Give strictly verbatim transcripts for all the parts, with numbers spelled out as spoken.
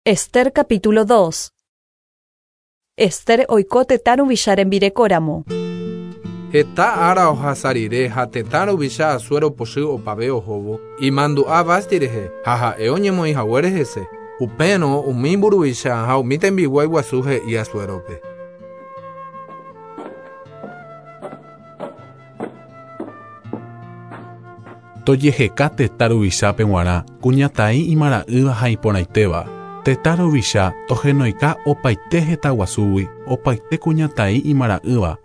Ester capítulo dos. Ester oiko tetã ruvicha rembirekóramo. Heta ára ohasa rire ha tetã ruvicha Asuero pochy opave ohóvo imandu'a Vasti rehe ha ha'e oñemoĩhaguére hese. Upérõ umi mburuvicha ha umi tembiguái guasu he'i Asuérope. Tojeheka tetã ruvichápe g̃uarã kuñataĩ imara'ỹva ha iporãitéva. Tetã ruvicha tohenoika opaite heta guasúgui opaite kuñataĩ imara'ỹva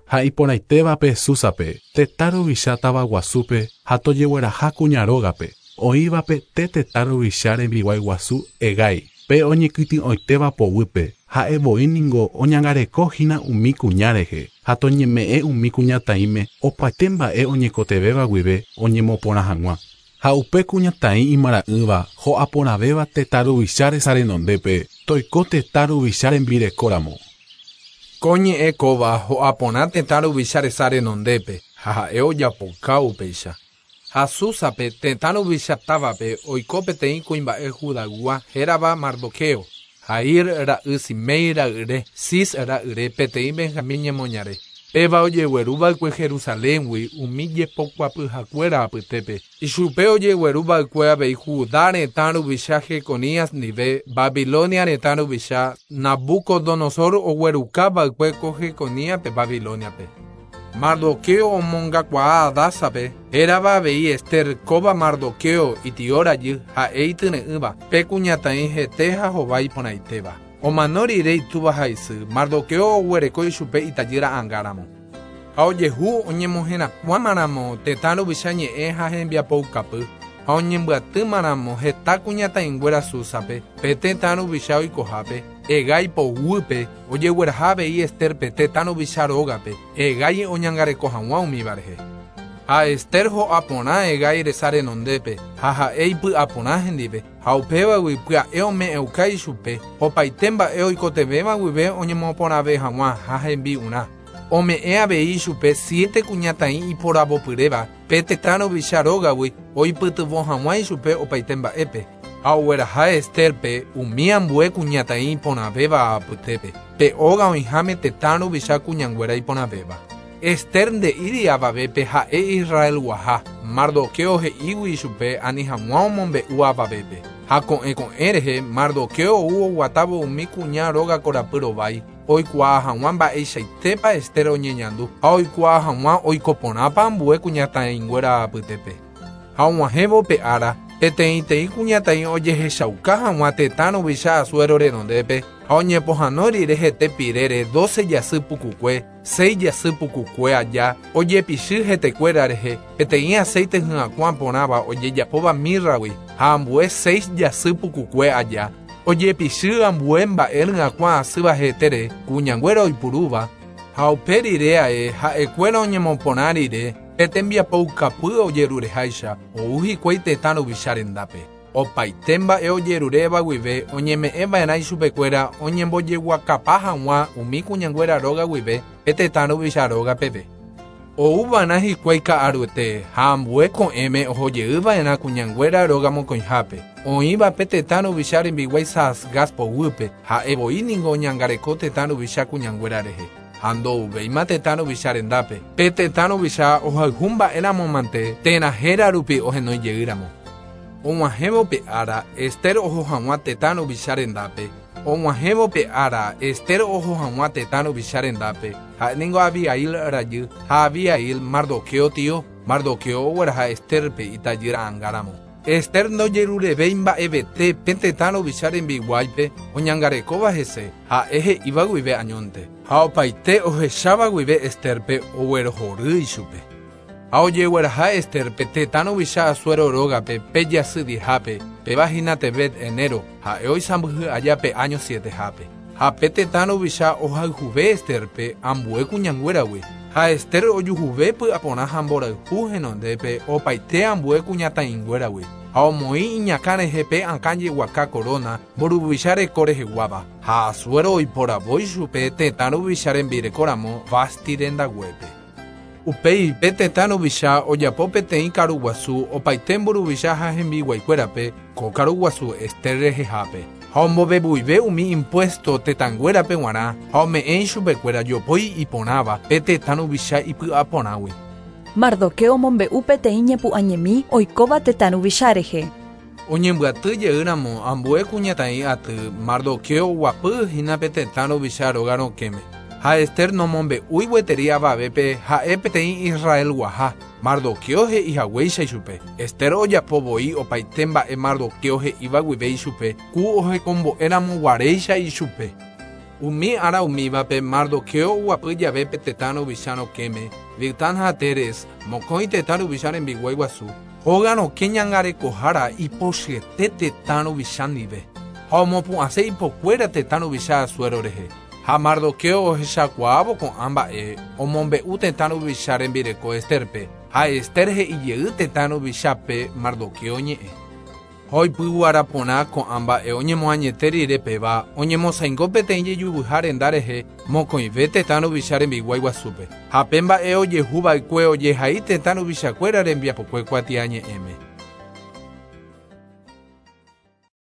ha iporãitévape Súsape tetã ruvicha tavaguasúpe ha tojegueraha kuña rógape oĩvape te tetã ruvicha rembiguái guasu Hegái pe oñekytĩ'oitéva poguýpe ha'evoi ningo oñangarekohína umi kuña rehe ha toñeme'ẽ umi kuñataĩme opaite mba'e oñekotevẽva guive oñemoporã hag̃ua. Ha upe kuñataĩ imara'ỹva ho'aporãvéva tetã ruvicha resa renondépe toiko tetã ruvicha rembirekóramo. Ko ñe'ẽ kóva ho'aporã tetã ruvicha resa renondépe ha ha'e ojapoka upéicha. Ha Súsape tetã ruvicha távape oiko peteĩ kuimba'e Judaygua hérava Mardoqueo, Jair ra'y Simei ra'yre, Cis ra'yre peteĩ Benjamín ñemoñare. Péva ojegueruva'ekue Jerusaléngui umi jepokuapyhakuéra apytépe. Ichupe ojegueruva'ekue avei Judá retã ruvicha Jeconías ndive Babilonia retã ruvicha Nabucodonosor oguerukava'ekue ko Jeconíaspe Babiloniape. Mardoqueo omongakuaa Hadasápe hérava avei Ester kóva Mardoqueo itio rajy ha'e ityre'ỹva pe kuñataĩ hete ha hova iporãitéva. Omano rire itúva ha isy, Mardoqueo oguereko ichupe itajýra angáramo. Ha ojehu oñemoherakuãmaramo tetã ruvicha ñe'ẽ ha hembiapoukapy ha oñembyatýmaramo heta kuñataĩnguéra Súsape pe tetã ruvicha oikohápe Hegái poguýpe ojegueraha avei Esterpe tetã ruvicha rógape Hegái oñangareko hag̃ua umíva rehe. Ha Ester ho'aporã Hegái resa renondépe ha ha'e ipy'aporã hendive ha upévagui pya'e ome'ẽuka ichupe opaite mba'e oikotevẽva guive oñemoporãve hag̃ua ha hembi'urã. Ome'ẽ avei ichupe siete kuñataĩ iporavopyréva pe tetã ruvicha rógagui oipytyvõ hag̃ua ichupe opaite mba'épe. Ha ogueraha Esterpe umi ambue kuñataĩ iporãvéva apytépe pe óga oĩháme tetã ruvicha kuñanguéra iporãvéva. Ester nde'íri avavépe ha'e Israelguaha Mardoqueo he'ígui ichupe ani hag̃ua omombe'u avavépe. Ha ko'ẽ ko'ẽ rehe Mardoqueo ou oguatávo umi kuña róga korapy rovái oikuaa hag̃ua mba'eichaitépa Ester oñeñandu ha oikuaa hag̃ua oikoporãpa ambue kuñataĩnguéra apytépe. Ha og̃uahẽvo pe ára peteĩteĩ kuñataĩ ojehechauka hag̃ua tetã ruvicha Asuero renondépe ha oñepohãno rire hete pirére doce jasy pukukue, seis jasy pukukue aja ojepichy hetekuéra rehe peteĩ aceite hyakuã porãva ojejapóva mirragui ha ambue seis jasy pukukue aja ojepichy ambue mba'e hyakuã asýva hetére kuñanguéra oipurúva ha upe rire ae ha'ekuéra oñemoporã rire pe tembiapoukapy ojerureháicha ou hikuái tetã ruvicha rendápe. Opaite mba'e ojeruréva guive oñeme'ẽva'erã ichupekuéra oñembojeguakapa hag̃ua umi kuñanguéra róga guive pe tetã ruvicha róga peve. Ouva'erã hikuái ka'aruete ha ambue ko'ẽme ohojeyva'erã kuñanguéra róga mokõihápe. Oĩva pe tetã ruvicha rembiguái Saasgaz poguýpe ha'evoi ningo oñangareko tetã ruvicha kuñanguéra rehe. Ha ndouvéima tetã ruvicha rendápe. Pe tetã ruvicha ohayhu mba'éramo mante térã héra rupi ohenóijeýramo. Og̃uahẽvo pe ára Ester oho hag̃ua tetã ruvicha rendápe. Og̃uahẽvo pe ára Ester oho hag̃ua tetã ruvicha rendápe ha'éningo Abihail rajy ha Abihail Mardoqueo tio. Mardoqueo ogueraha Esterpe itajýra angáramo. Ester ndojerurevéi mba'evete pe tetã ruvicha rembiguáipe oñangarekóva hese ha'e he'íva guive añónte. Ha opaite ohecháva guive Esterpe oguerohory ichupe. Ha ojegueraha Esterpe tetã ruvicha Asuero rógape pe jasy diezhápe péva hína Tebet enero ha'e oisãmbyhy aja pe año sietehápe. Ha pe tetã ruvicha ohayhuve Esterpe ambue kuñanguéragui. Ha Ester ojuhuve py'aporã ha mborayhu henondépe opaite ambue kuñataĩnguéragui. Ha omoĩ iñakã rehe pe akã jeguaka corona mburuvicha reko reheguáva. Ha Asuero oiporavo ichupe tetã ruvicha rembirekóramo Vasti rendaguépe. Upéi pe tetã ruvicha ojapo peteĩ karuguasu opaite mburuvicha ha hembiguaikuérape ko karuguasu Ester rehehápe. Ha ombovevuive umi impuesto tetãnguérape g̃uarã ha ome'ẽ ichupekuéra jopói iporãva pe tetã ruvicha ipy'aporãgui. Mardoqueo omombe'u peteĩ ñepu'ãñemi oikóva tetã ruvicha rehe. Oñembyaty jeýramo ambue kuñataĩ aty Mardoqueo oguapy hína pe tetã ruvicha róga rokẽme. Ha Ester nomombe'úi gueteri avavépe ha'e peteĩ Israelguaha. Mardoqueo he'i haguéicha ichupe. Ester ojapo voi opaite mba'e Mardoqueo he'íva guive ichupe ku ohekombo'éramo guaréicha ichupe. Umi ára umívape Mardoqueo oguapy jave pe tetã ruvicha rokẽme, Bigtán ha Teres, mokõi tetã ruvicha rembiguái guasu, hóga rokẽ ñangarekohára ipochyete tetã ruvicha ndive. Ha omopu'ãse ipokuéra tetã ruvicha Asuero rehe. Ha Mardoqueo ohechakuaávo ko'ã mba'e omombe'u tetã ruvicha rembireko Esterpe, ha Ester he'i jey tetã ruvichápe Mardoqueo ñe'ẽ. Oipyguara porã ko'ã mba'e oñemoañete rire péva oñemosãingo peteĩ jejuvyha renda rehe mokõive tetã ruvicha rembiguái guasúpe. Ha pe mba'e ojehuva'ekue ojehai tetã ruvichakuéra rembiapokue kuatiañe'ẽme.